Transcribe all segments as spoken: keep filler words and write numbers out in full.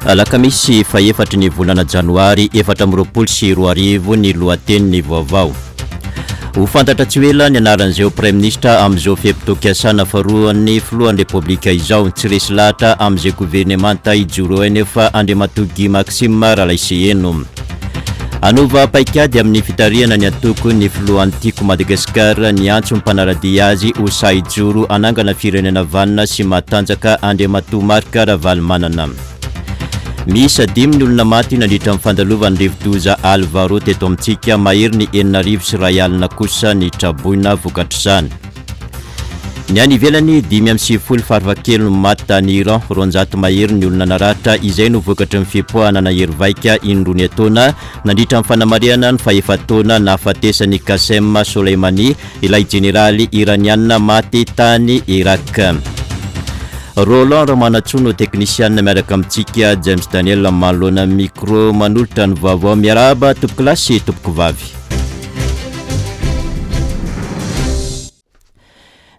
Alakamisy fahefatry ny volana janoary efatra amby roapolo sy roa arivo ny lohatenin'ny vaovao. Ho fantatra tsy ho ela ny anaran'izay ho praiminisitra amin'izao fe-potoam-piasana faharoan'ny filohan'ny Repoblika izao. Tsy resy lahatra amin'izay governemanta hijoro eo anefa Andriamatoa Guy Maxime Ralaiseheno. Hanova paikady amin'ny fitarihana ny antoko ny filohan'ny Tiako Madagasikara niantso ny mpanara-dia azy ho sahy hijoro hanangana firenena vanona sy matanjaka Andriamatoa Marc Ravalomanana. Miisa dimy ny olona maty nandritra ny fandalovan'ny rivodoza Alvaro teto amintsika, mahery ny enina arivo sy iray alina kosa ny traboina vokatr'izany. Ny any ivelany, dimy amby sivifolo farafahakeliny no maty tany Iran, roanjato mahery ny olona naratra, izay no vokatry ny fipoahana nahery vaika indroa niatoana nandritra ny fanamarihana ny fahefa-taona nahafatesan'i Qassem Soleimani, ilay jeneraly iraniana maty tany Irak. Roland Ramanantsoa no teknisianina miaraka amintsika, James Daniel manoloana ny micro manolotra ny vaovao. Miarahaba tompokolahy sy tompokovavy.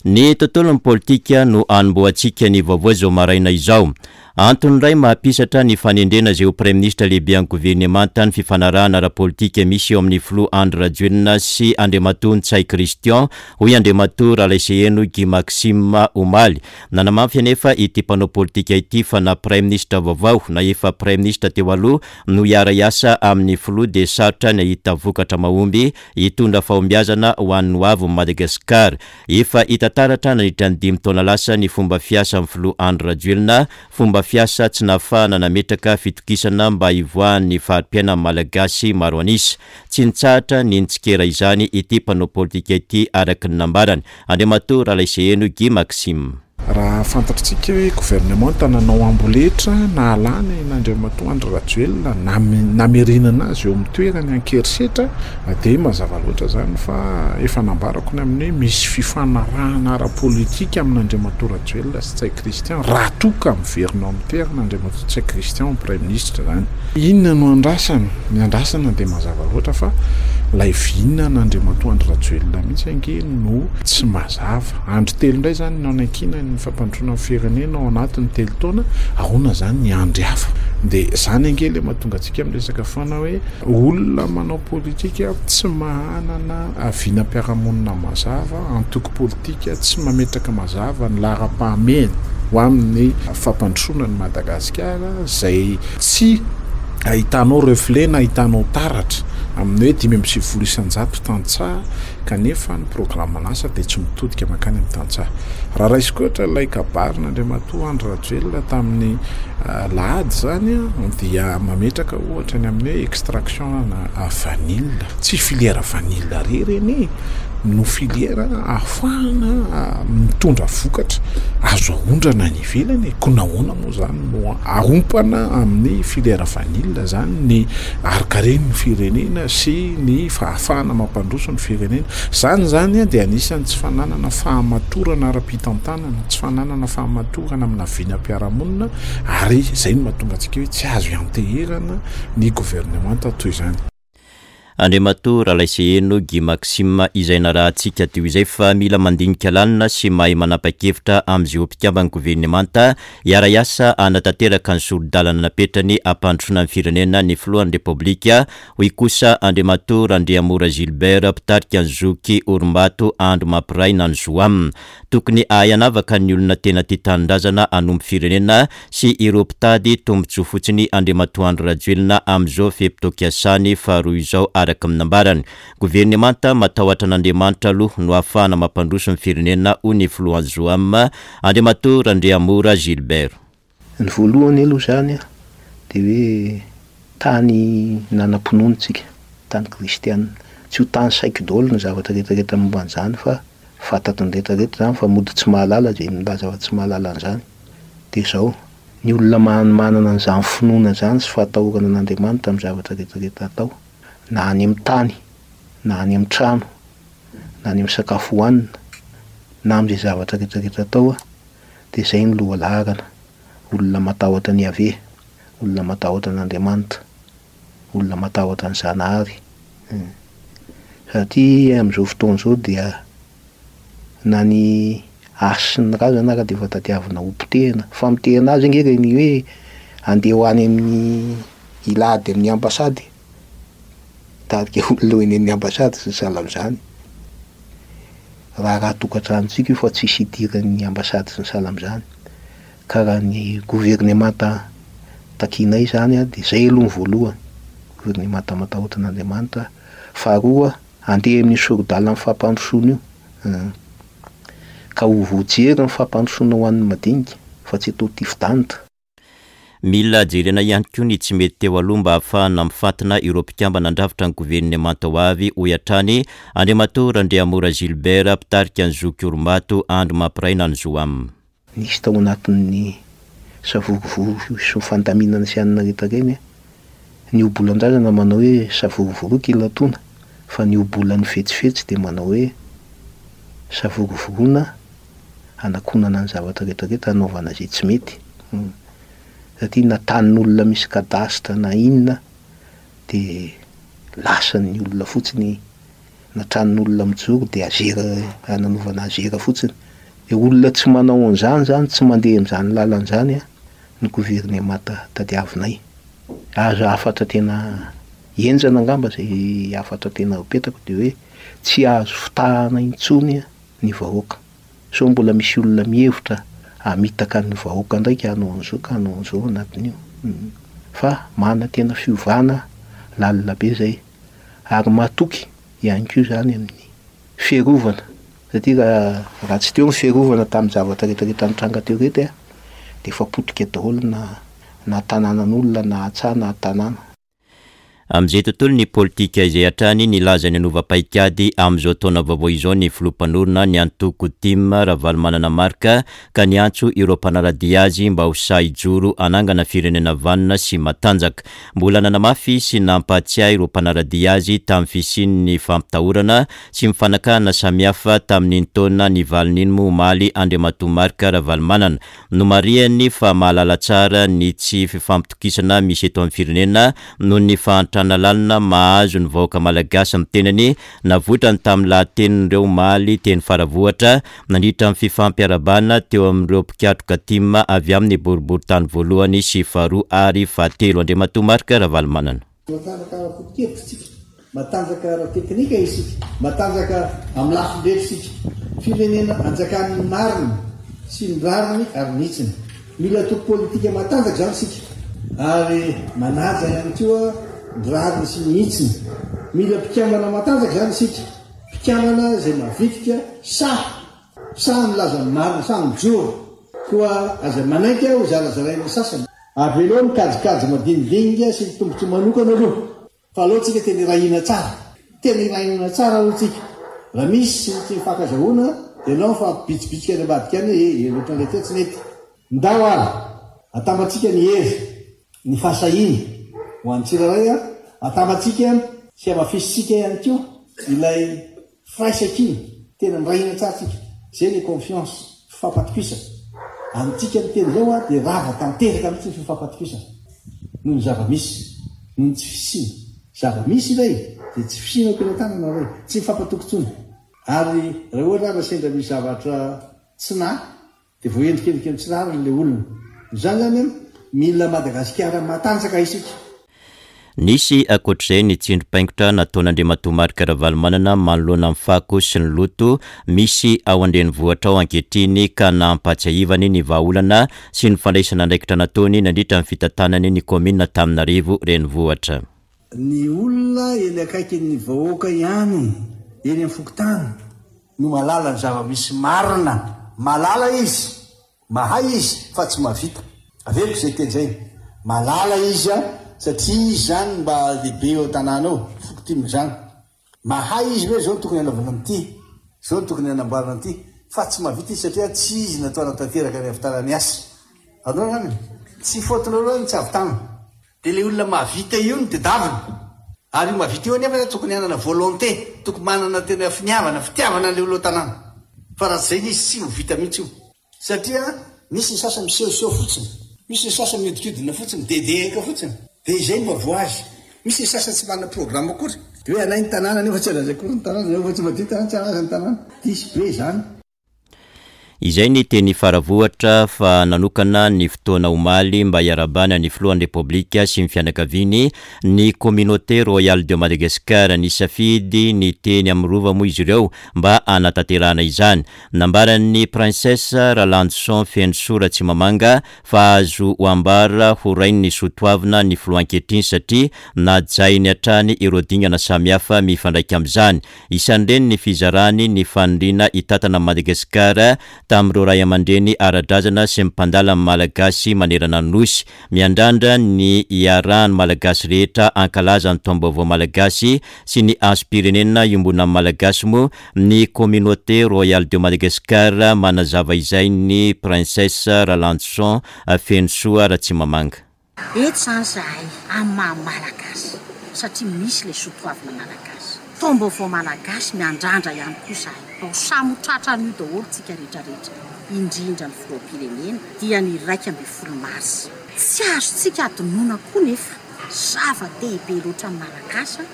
Ny tontolon'ny politika no anombohantsika ny vaovao izao maraina izao. Antony iray mahampisatra ny fanendrena izay ho praiminisitra lehiben'ny governemanta ny fifanarahana ara-politika misy eo amin'ny filoha Andry Rajoelina sy Andriamatoa Ntsay Christian, hoy Andriamatoa Ralaiseheno Guy Maxime omaly. Nanamafy anefa ity mpanao politika ity fa na praiminisitra vaovao na efa praiminisitra teo aloha no hiara-hiasa amin'ny filoha dia sarotra ny hahita vokatra mahomby hitondra fahombiazana ho an'ny hoavin'i Madagasikara. Efa hita taratra nandritra ny dimy taona lasa ny fomba fiasan'ny filoha Andry Rajoelina, fomba fiasa tsy nahafahana nametraka fitokisana mba hivoahan'ny fari-piainan'ny Malagasy maro an'isa. Tsy nitsahatra ny nitsikera izany ity mpanao politika ity araka ny nambarany. Andriamatoa Ralaiseheno Guy Maxime. Raha fantatritsika hoe governemanta nanao amboletra nahalany an'Andriamatoa Andry Rajoelina namerenana azy eo amin'ny toerany an-kerisetra dia mazava loatra izany fa efa nambarako ny amin'ny hoe misy fifanarahana ara-politika amin'Andriamatoa Rajoelina sy Ntsay Christian raha toa ka miverina ao amin'ny toerana Andriamatoa Ntsay Christian praiminisitra izany. Inona no andrasana? Ny andrasana dia mazava loatra fa ilay vinan'Andriamatoa Andry Rajoelina mihitsy ange no tsy mazava. Andro telo indray izany no nanankinany ny fampandrosoana ny firenena ao anatin'ny telo taona, ahoana izany ny andry hafa? Dia izany ange ilay mahatonga antsika miresaka foana hoe olona manao politika tsy manana vinam-piarahamonina mazava, antoko politika tsy mametraka mazava ny laharam-pahamehana ho amin'ny fampandrosoana ny Madagasikara izay tsy ahitanao reflet na ahitanao taratra amin'ny hoe dimy amby sivifolo isan-jato tantsaha kanefa ny programan'asa dia tsy mitodika mankany amin'ny tantsaha. Raha raisiko ohatra ilay kabarin'Andriamatoa Andry Rajoelina tamin'ny lahady izany dia mametraka ohatra ny amin'ny hoe extraction na vanille. Tsy filière vanille irery anie no filière ahafahana mitondra vokatra azo aondrana any ivelany. Koa nahoana moa izany no arompana amin'ny filière vanille izany ny harikaren'ny firenena sy ny fahafahana mampandroso ny firenena. Izany izany dia anisan'ny tsy fananana fahamatorana ara-pitantanana, tsy fananana fahamatorana amina vinam-piarahamonina ary izay no mahatonga antsika hoe tsy azo ianteherana ny governemanta toy izany. Andriamatoa Ralaiseheno Guy Maxime izay narahantsika teo izay fa mila mandinika lalina sy mahay manapa-kevitra amin'izay ho mpikamban'ny governemanta hiara-hiasa hanatanteraka ny sori-dalana napetrany hampandrosoana ny firenena ny filohan'ny Repoblika, hoy kosa Andriamatoa Randriamora Gilbert mpitarika ny zoky Orombato Andro Mampiray na ny Zoam. Tokony hahay hanavaka ny olona tena tia tanindrazana hanompo firenena sy ireo mpitady tombontsoa fotsiny Andriamatoa Andry Rajoelina amin'izao fe-potoam-piasany faharoa izao araka ny nambarany. Governemanta matahotra an'Andriamanitra aloha no ahafahana mampandroso ny firenena hoy ny filohan'ny Zoam Andriamatoa Randriamora Gilbert. Ny voalohany aloha izany dia hoe tany nanam-pinoana isika, tany kristianina. Tsy ho tany saiky daholo ny zavatra rehetrarehetra momba an'izany fa fantatry ny rehetrarehetra izany fa mody tsy mahalala izay milaza fa tsy mahalala an'izany. Dia izao, ny olona manana an'izany finoana izany sy fahatahorana an'Andriamanitra amin'ny zavatra rehetrarehetra atao, na any amin'ny tany, na any amin'ny trano, na any amin'ny sakafo hohanina, na amin'izay zavatra rehetrarehetra atao, dia izay no lohalaharana. Olona matahotra an'i Yaveh, olona matahotra an'Andriamanitra, olona matahotra ny Zanahary. Satria amin'izao fotoana izao dia na ny hasy sy ny razana ara dia efa tadiavina ho potehina. Famotehana azy ange ireny hoe Andeha ho any amin'ny hilady amin'ny ambasady, hitarika olona ho eny amin'ny ambasady sy ny sahala amin'izany. Raharaha tokantranontsika io fa tsisy idiran'ny ambasady sy ny sahala amin'izany. Ka raha ny governemanta takianay izany dia izay aloha ny voalohany, governemanta matahotra an'Andriamanitra. Faharoa, andeha amin'io sori-dalan'ny fampandrosoana io, ka ho voajery ny fampandrosoana ho an'ny madinika fa tsy atao tifi-danitra. Mila jerena ihany koa ny tsy mety teo aloha mba hahafahana mifantina ireo mpikambana handrafitra ny governemanta ho avy, hoy hatrany Andriamatoa Randriamora Gilbert, mpitarika ny Zoky Oromato Andry Mampiray na ny Zoam. Nisy tao anatin'ny savorovoro sy ny fandaminana sy anona rehetra ireny ny ohabolan-drazana manao hoe savorovoroka ilatoana, fa ny ohabolan'ny fetsifetsy dia manao hoe savorovoroana hanakonana ny zavatra rehetra rehetra hanaovana izay tsy mety. Satria na tanin'olona misy cadastre na inona dia lasan'ny olona fotsiny, na tranon'olona mijoro dia azera, nanaovana azera fotsiny. Dia olona tsy manao an'izany izany, tsy mandeha amin'izany lalana izany ny governemanta tadiavinay. Aza hafatra tena henjana angamba izay hafatra tena apetako dia hoe tsy azo fitahana intsony ny vahoaka. Sao mbola misy olona mihevitra hamitaka ny vahoaka ndraiky hanao an'izao ka hanao an'izao anatin'io. Fa manantena fiovana lalina be izay ary matoky ihany koa izany amin'ny fiarovana. Satria raha, raha tsy teo ny fiarovana tamin'ny zavatra rehetrarehetra nitranga teo reto dia efa potika daholo na, na tanànan'olona na antsaha na tanàna. Amin'izay tontolon'ny politika izay hatrany, nilaza ny hanova paikady amin'izao taona vaovao izao ny filoha mpanorina ny antoko Tim, Ravalomanana Marc, ka niantso ireo mpanara-dia azy mba ho sahy hijoro hanangana firenena vanona sy matanjaka. Mbola nanamafy sy nampahatsiahy ireo mpanara-dia azy tamin'ny fisian'ny fampitahorana sy ny fanakana samihafa tamin'iny taona nivalona iny moa omaly Andriamatoa Marc Ravalomanana. Nomarihany fa mahalala tsara ny tsy fifampitokisana misy eto amin'ny firenena noho ny fahantrana lalina mahazo ny vahoaka malagasy ny tenany. Navoitrany tamin'ny lahatenin'ireo omaly teny Faravohitra nandritra ny fifampiarahabana teo amin'ireo mpikatroka Tim avy amin'ny boriborintany voalohany sy faharoa ary fahatelo. Andriamatoa Marc Ravalomanana. Matanjaka ara-potokevitra isika, matanjaka ara-teknika isika, matanjaka amin'ny lafiny rehetra isika. Firenena anjakan'ny marina sy ny rariny ary ny hitsiny. Mila antoko politika matanjaka izany isika ary manaja ihany koa ny rariny sy ny hitsiny. Mila mpikambana matanjaka izany isika, mpikambana izay mavitrika, sahy, sahy milaza ny marina, sahy mijoro. Koa aza manaiky ho zarazarain'ny sasany. Avelao ny kajikajy madinidinika sy ny tombontsoa manokana aloha, fa aleo tsika tena irahina tsara. Tena irahina tsara aloha tsika. Raha misy ny tsy mifankazahoana dia aleo mifampibitsibitsika any ambadika any hoe e, e, ohatran'ilay teo tsy nety. Ndao ary, atambatsika ny hery, ny fahasahiana ho an'ny tsirairay, atambatsika sy hamafisintsika ihany koa ilay firaisankina, tena mirahina tsara tsika. Izay ilay confiance, fifampatokisana. Amintsika miteny izao dia rava tanteraka mihitsy ny fifampatokisana noho ny zava-misy, noho ny tsy fisiana. Zava-misy ilay dia tsy fisiana eo am-pelatanana ilay, tsy mifampatoky intsony. Ary raha ohatra ary sendra misy zavatra tsy nahy dia voaendrikendrika ny tsy rariny ilay olona. Izany izany an, mila Madagasikara matanjaka isika. Nisy ankoatr'izay ny tsindrim-paingotra nataon'Andriamatoa Marc Ravalomanana manoloana ny fako sy ny loto misy ao an-drenivohitra ao ankehitriny ka nampahatsiahivany ny vahaolana sy ny fandraisana andraikitra nataony nandritra ny fitantanany ny kaominina Antananarivo renivohitra. Ny olona eny akaikin'ny vahoaka ihany, eny amin'ny fokontany, no mahalala ny zava-misy marina. Mahalala izy, mahay izy fa tsy mahavita. Averiko izay teny izay. Mahalala izy satria izy izany mba lehibe eo an-tanàna eo, fokontiny izany. Mahay izy hoe izao no tokony hanaovana an'ity, izao no tokony hanamboarana an'ity, fa tsy mahavita izy satria tsy izy natao hanatanteraka ny hahavitana ny asa. Azonareo izany e? Tsy faute-nareo izany ny tsy hahavitana. Dia ilay olona mahavita io no tedavina. Ary io mahavita io anefa tokony hanana volonté, tokony manana tena finiavana, fitiavana an'ilay olona ao an-tanàna. Fa raha tsy izay izy tsy ho vita mihitsy io. Satria misy ny sasany misehoseho fotsiny, misy ny sasany mihodinkodina fotsiny, midedehaka fotsiny. Dia izay no mahavoa azy. Misy ny sasany tsy manana programme akory. Dia hoe anay ny tanàna nefa tsy an'azy akory ny tanàna, nefa tsy madio ny tanàna, tsy an'azy ny tanàna. Diso be izany. Izay ny teny Faravohitra fa nanokana ny fotoana omaly mba hiarahabana ny filohan'ny Repoblika sy ny fianakaviany ny Communauté Royale de Madagascar. Nisafidy ny teny amin'ny rova moa izy ireo mba hanatanterahana izany. Nambaran'ny Princesse Ralandoson Fenosoa Ratsimamanga fa azo ho ambara ho rain'ny soatoavina ny filoha ankehitriny satria najainy hatrany ireo dingana samihafa mifandraika amin'izany. Isan'ireny ny fizarany ny faniriana hitantana Madagasikara tamin'ireo ray aman-dreny ara-drazana sy ny mpandala ny Malagasy manerana ny Nosy. Miandrandra ny hiarahan'ny Malagasy rehetra hankalaza ny taom-baovao Malagasy sy ny hasim-pirenena iombonan'ny Malagasy moa ny Communauté Royale de Madagascar. Manazava izay ny Princesse Ralandoson Fenosoa Ratsimamanga. Eto izany izahay amin'ny maha Malagasy satria misy ilay soatoavina Malagasy. Taom-baovao Malagasy miandrandra ihany koa izahay. Ho samy ho tratran'io daholo tsika rehetrarehetra, indrindra ny filoham-pirenena dia ny iraika ambin'ny folo marsa. Tsy azontsika adinoina koa nefa zava-dehibe loatra amin'ny Malagasy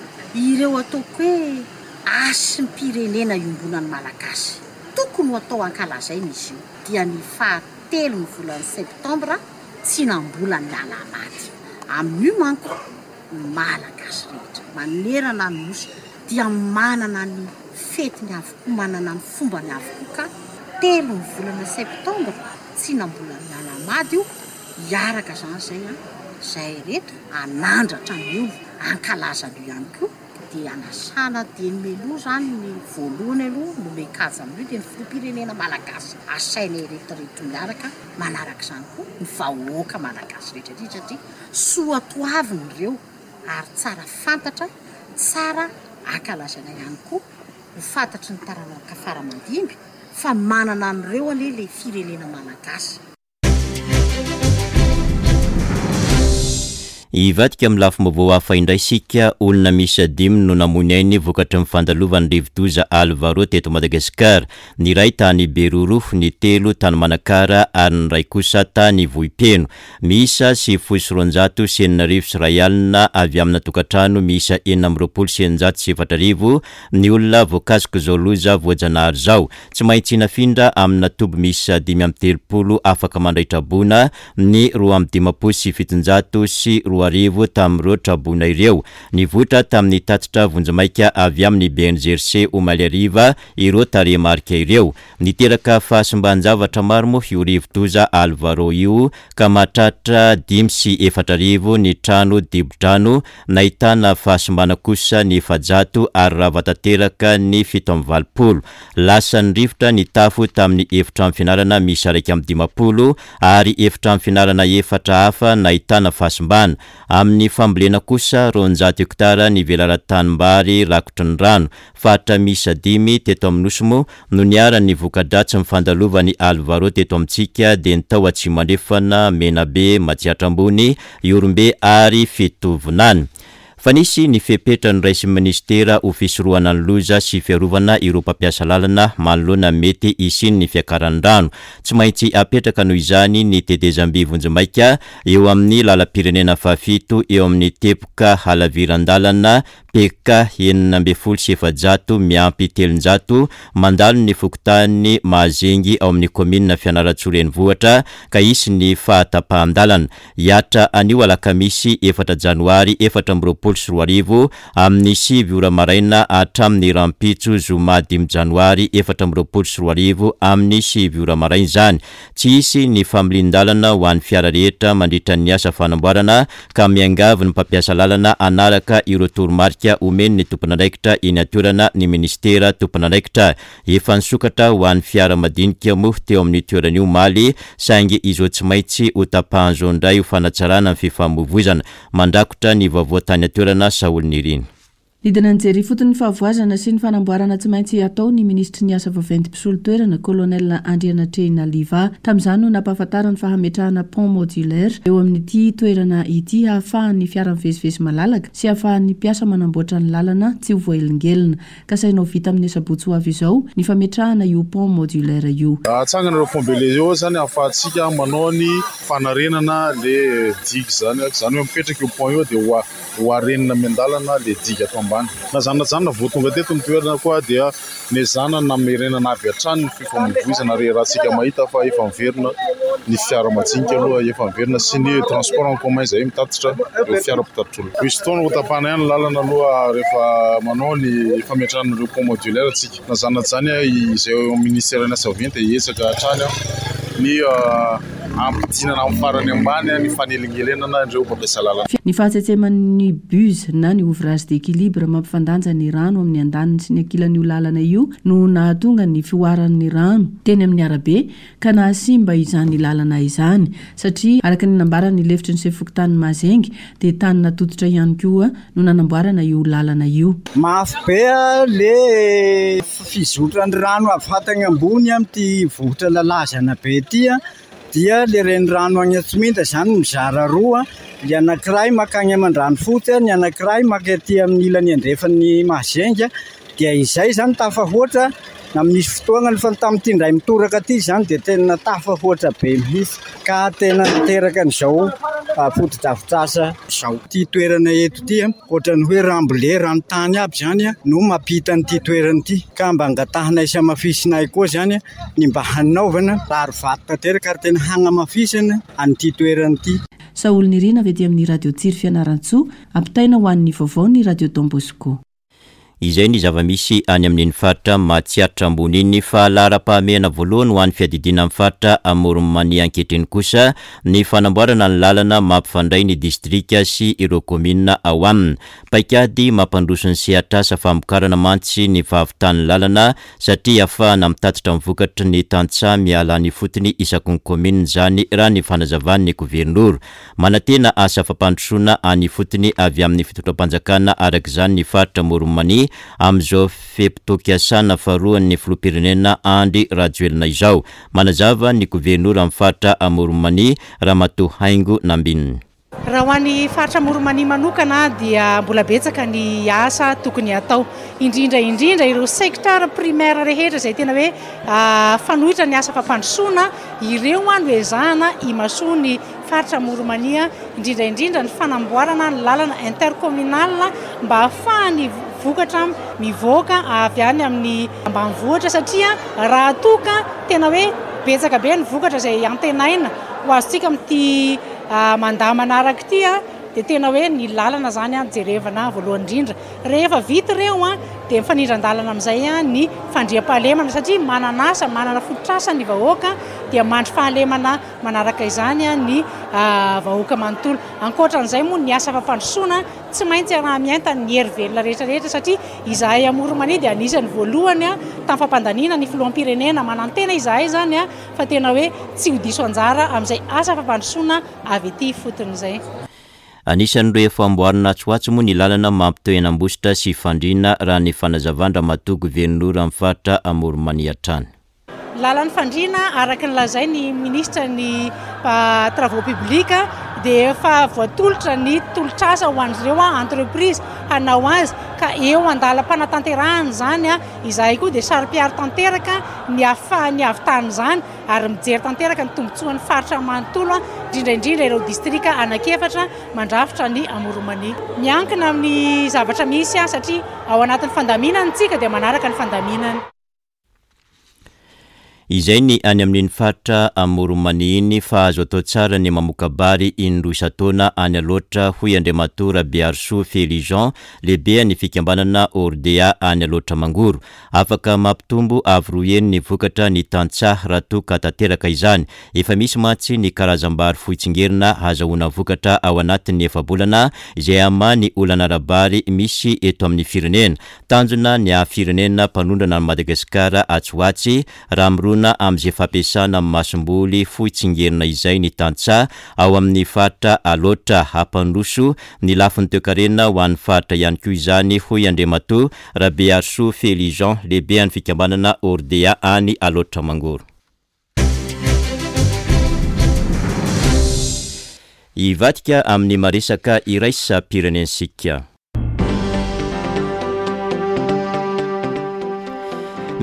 ireo ataoko hoe hasim-pirenena iombonan'ny Malagasy. Tokony ho atao ankalazaina izy io dia ny fahatelo ny volana septambra tsy nambola ny alahamady. Amin'io manko ny Malagasy rehetra manerana ny Nosy dia manana ny fetiny avokoa, manana ny fombany avokoa ka telo ny volana septambra tsy nambola ny alahamady io. Hiaraka izany izay a, izay reto hanandratra ny olo ankalaza an'io ihany koa. Dia anasana dia ny meloha izany ny voalohany aloha no mekaja amin'io dia ny filoham-pirenena Malagasy asaina ireto reto miaraka manaraka izany koa ny vahoaka Malagasy rehetra rehetra satria soatoavina ireo ary tsara fantatra, tsara ankalazaina ihany koa ho fantatry ny taranaka fara-mandimby fa manana an'ireo anie ilay firenena Malagasy. Hivadika amin'ny lafim-baovao hafa indray isika. Olona miisa dimy no namoy ny ainy vokatry ny fandalovan'ny rivodoza Alvaro teto Madagasikara. Ny iray tany Beroro, ny telo tany Manakara ary ny iray kosa tany Vohipeno. Miisa sivifolo sy roanjato sy enina arivo sy iray alina avy amina tokantrano miisa enina amby roapolo sy eninjato sy efatra arivo ny olona voakasik'izao loza voajanahary izao. Tsy maintsy nafindra amina toby miisa dimy amby telopolo afaka mandray traboina ny roa amby dimampolo sy fitonjato sy roa arivo tamin'ireo traboina ireo. Nivoitra tamin'ny tatitra vonjimaika avy amin'ny B N G R C omaly hariva ireo tarehimarika ireo. Niteraka fahasimban-javatra maro moa io rivodoza Alvaro io ka mahatratra dimy sy efatra arivo ny trano dibo-drano, nahitana fahasimbana kosa ny efajato ary rava tanteraka ny fito amby valopolo. Lasan'ny rivotra ny tafo tamin'ny efitrano fianarana miisa iraika amby dimampolo ary efitrano fianarana efatra hafa nahitana fahasimbana. Amin'ny fambolena kosa roanjato hektara ny velaran-tanimbary rakotry ny rano. Faritra miisa dimy teto amin'ny Nosy moa no niharan'ny voka-dratsy ny fandalovan'ny Alvaro teto amintsika dia ny tao Atsimo Andrefana, Menabe, Matsiatra Ambony, Ihorombe ary Fitovinany. Fa nisy ny fepetra noraisin'ny minisitera ho fisorohana ny loza sy fiarovana ireo mpampiasa lalana manoloana mety hisian'ny fiakaran'ny rano. Tsy maintsy apetraka noho izany ny tetezamby vonjimaika eo amin'ny lalam-pirenena fahafito eo amin'ny teboka halaviran-dalana P K enina ambin'ny folo sy efajato miampy telonjato mandalo ny fokontany Mahazengy ao amin'ny kaominina Fianarantsoa renivohitra ka hisy ny fahatapahan-dalana. Hiatra anio alakamisy efatra janoary efatra amby roapolo sy roa arivo amin'ny sivy ora maraina hatramin'ny rahampitso zoma dimy janoary efatra amby roapolo sy roa arivo amin'ny sivy ora maraina izany. Tsy hisy ny familian-dalana ho an'ny fiara rehetra mandritra ny asa fanamboarana ka miangavy ny mpampiasa lalana hanaraka ireo toromarika omeny ny tompon'andraikitra eny an-toerana ny ministera tompon'andraikitra. Efa nisokatra ho an'ny fiara madinika moa teo amin'ny toerana io omaly, saingy izao tsy maintsy ho tapahan'izao indray ho fanatsarana ny fifamoivoizana. Mandrakotra ny vaovao tany an-toerana Saholinirina. Nidina nijery ifotony ny fahavoazana sy ny fanamboarana tsy maintsy atao ny minisitry ny asa vaventy mpisolo toerana, colonel Andrianatrehina Liva. Tamin'izany no nampahafantarany fa hametrahana pont modulaire eo amin'ity toerana ity hahafahan'ny fiara mivezivezy malalaka sy hahafahan'ny mpiasa manamboatra ny lalana tsy ho voahelingelina. Kasaina ho vita amin'ny asabotsy ho avy izao ny fametrahana io pont modulaire io. Atsangana ireo pont bele io zany ahafahantsika manao ny fanarenana le digue zany. Zany hoe mipetraka io pont io dia ho a-, ho arenina miandalana le digue ato ambany. ambany. Na izany na izany, vao tonga teto ny toerana koa dia nezahana namerenana avy hatrany ny fifamoivoizana ary raha tsika mahita fa efa miverina ny fiara majinika aloha, efa miverina sy ny transport en commun izay mitatitra ireo fiara mpitatitr'olona. Misy fotoana ho tapahana ihany ny lalana aloha rehefa manao ny fametrahana ireo pont modulaire tsika. Na izany na izany, izay eo amin'ny ministeran'ny asa vaventy dia hiezaka hatrany ny ampidinana amin'ny farany ambany ny fanelingelenana ireo mpampiasa lalana. Ny fahatsetseman'ny buse na ny ouvrage d'équilibre mampifandanja ny rano amin'ny andaniny sy ny ankilan'io lalana io no nahatonga ny fihoaran'ny rano teny amin'ny arabe ka nahasimba izany lalana izany, satria araka ny nambaran'ny lefitry ny sefo-fokontany Mazengy dia tany natototra ihany koa no nanamboarana io lalana io. Mafy be le fizotran'ny rano avy hatany ambony amin'ity vohitra lalazana be ity, dia le renirano any Antsominta izany mizara roa, ny anankiray makany Amandranofotsy, ny anankiray maka aty amin'ny ilany andrefan'ny Mazengy, dia izay izany tafahoatra na misy fotoana fa tamin'ity indray mitoraka ity izany dia tena tafahoatra be mihitsy ka tena niteraka an'izao fotodrafitrasa izao. Ity toerana eto ity ohatran'ny hoe rambole ranontany aby izany no mampita an'ity toerana ity, ka mba angatahanay sy hamafisinay koa izany ny mba hanaovana rary vato tanteraka ary tena hanamafisana an'ity toerana ity. Saoly Nirina avy aty amin'ny Radio Tsiry Fianarantsoa, ampitaina ho an'ny vaovao ny Radio Don Bosco. Izay ny zava-misy any amin'iny faritra Matsiatra ambony iny. Fa laharam-pahamehana voalohany ho an'ny fiadidiana amin'ny faritra Amoron'i Mania ankehitriny kosa ny fanamboarana ny lalana mampifandray ny distrika sy ireo kaominina ao aminy. Paikady mampandroso ny sehatrasa famokarana mantsy ny fahavitan'ny lalana, satria ahafahana mitatitra ny vokatry ny tantsaha miala any ifotony isaky ny kaominina izany, raha ny fanazavan'ny governora. Manantena asa fampandrosoana any ifotony avy amin'ny fitondram-panjakana araka izany ny faritra Amoron'i Mania amin'izao fe-potoam-piasana faharoan'ny filoham-pirenena Andry Rajoelina izao. Manazava ny governora amin'ny faritra Amoron'i Mania, Ramatoa Haingo Nambinina. Raha ho an'ny faritra Amoron'i Mania manokana dia mbola betsaka ny asa tokony hatao, indrindra indrindra ireo secteur primaire rehetra izay tena hoe fanoitra ny asa fampandrosoana, ireo no ezahana imasoan'ny faritra Amoron'i Mania, indrindra indrindra ny fanamboarana ny lalana intercommunal mba ahafahan'ny vokatra mivoaka avy any amin'ny ambanivohitra, satria raha toa ka tena hoe betsaka be ny vokatra izay antenaina ho azontsika amin'ity mandat manaraka ity dia tena hoe ny lalana izany jerevana voalohany indrindra. Rehefa vita ireo dia mifanindran-dalana amin'izay ny fandriampahalemana, satria manana asa, manana fototrasa ny vahoaka dia mandry fahalemana manaraka izany ny vahoaka manontolo. Ankoatran'izay moa ny asa fampandrosoana tsy maintsy araha-miainta ny hery velona rehetrarehetra, satria izahay Amoron'i Mania dia anisan'ny voalohany tamin'ny fampandaniana ny filoham-pirenena. Manantena izahay izany fa tena hoe tsy ho diso anjara amin'izay asa fampandrosoana avy ety ifotony izay. Anisan'ireo efa amboarina atsy ho atsy moa ny lalana mampitohy an'Ambositra sy Fandriana, raha ny fanazavan-dRamatoa governora amin'ny faritra Amoron'i Mania hatrany. Lalan'ny Fandriana, araka ny lazain'ny minisitra ny travaux publics, dia efa voatolotra ny tolotrasa ho an'ireo entreprise hanao azy, ka eo andalam-panatanterahana izany izahay koa dia saro-piaro tanteraka ny ahafahan'ny havitan'izany ary mijery tanteraka ny tombontsoan'ny faritra manontolo, indrindra indrindra ireo distrika anankiefatra mandrafitra ny Amoron'i Mania. Miankina amin'ny zavatra misy, satria ao anatin'ny fandaminana isika dia manaraka ny fandaminana. Izay ny any amin'iny faritra Amoron'i Mania iny, fa azo atao tsara ny mamoka-bary indroa isan-taona any Alaotra, hoy Andriamatoa Rabearisoa Felijean, lehibe ny fikambanana Ordea any Alaotra Mangoro. Afaka mampitombo avo roa heny ny vokatra ny tantsaha raha toa ka tanteraka izany. Efa misy mantsy ny karazam-bary fohy tsingerina ahazoana vokatra ao anatin'ny efa-bolana izay hamaha ny olana ara-bary misy eto amin'ny firenena. Tanjona ny haha-firenena mpanondrana an'i Madagasikara atsy ho atsy raha mirona amin'izay fampiasana masomboly fohy tsingerina izay ny tantsaha ao amin'ny faritra Alaotra. Hampandroso ny lafiny toekarena ho an'ny faritra ihany koa izany, hoy Andriamatoa Rabearisoa Felijean, lehibe an'ny fikambanana Ordea any Alaotra Mangoro. Hivadika amin'ny maresaka iraisam-pirenentsika.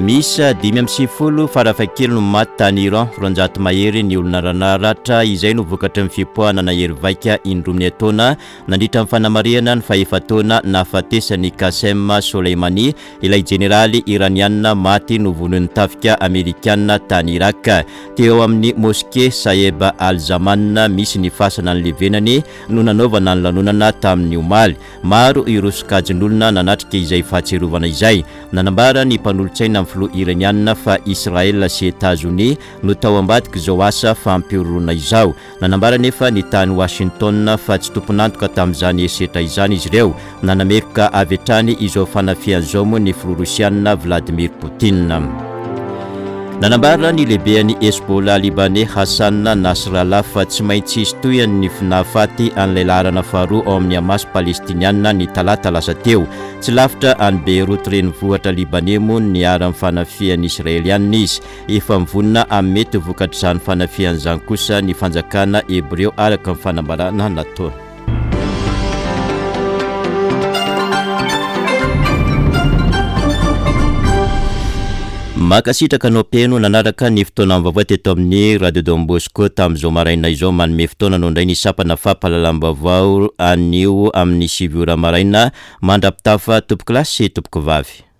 Miisa dimy amby sivifolo farafahakeliny no maty tany Iran, roanjato mahery ny olona naratra, izay no vokatry ny fipoahana nahery vaika indroa miantaona nandritra ny fanamarihana ny fahefa-taona nahafatesan'i Qasem Soleimani, ilay jeneraly iraniana maty novonoin'ny tafika amerikana tany Irak. Teo amin'ny moske Saheb Al-Zaman misy ny fasana nilevenany no nanaovana ny lanonana tamin'ny omaly. Maro ireo sokajin'olona nanatrika izay fahatsiarovana izay. Nanambara ny mpanolotsaina amin'ny filoha iraniana fa Israël sy Etazonia no tao ambadika izao asa fampihorohoroana izao. Nanambara nefa ny tany Washington fa tsy tompon'antoka tamin'izany herisetra izany izy ireo. Nanameloka avy hatrany izao fanafihana izao moa ny filoha rosiana Vladimir Poutine. Nanambara ny lehiben'ny Hezbollah libanais Hassan Nasrallah fa tsy maintsy hisy tohiny ny nahafaty an'ilay laharana faharoa ao amin'ny Hamas palestiniana ny talata lasa teo. Tsy lavitra any Beyrouth renivohitra libanais moa no niharan'ny fanafihan'ny israelianina izy. Efa mivonona amin'ny mety vokatr'izany fanafihana izany kosa ny fanjakana hebreo araka ny fanambarana nataony. Mankasitraka anao mpihaino nanaraka ny fotoana vaovao teto amin'ny Radio Don Bosco tamin'izao maraina izao. Manome fotoana anao indray ny sampana fampahalalam-baovao anio amin'ny sivy ora maraina. Mandra-pitafa tompoko lahy sy tompoko vavy.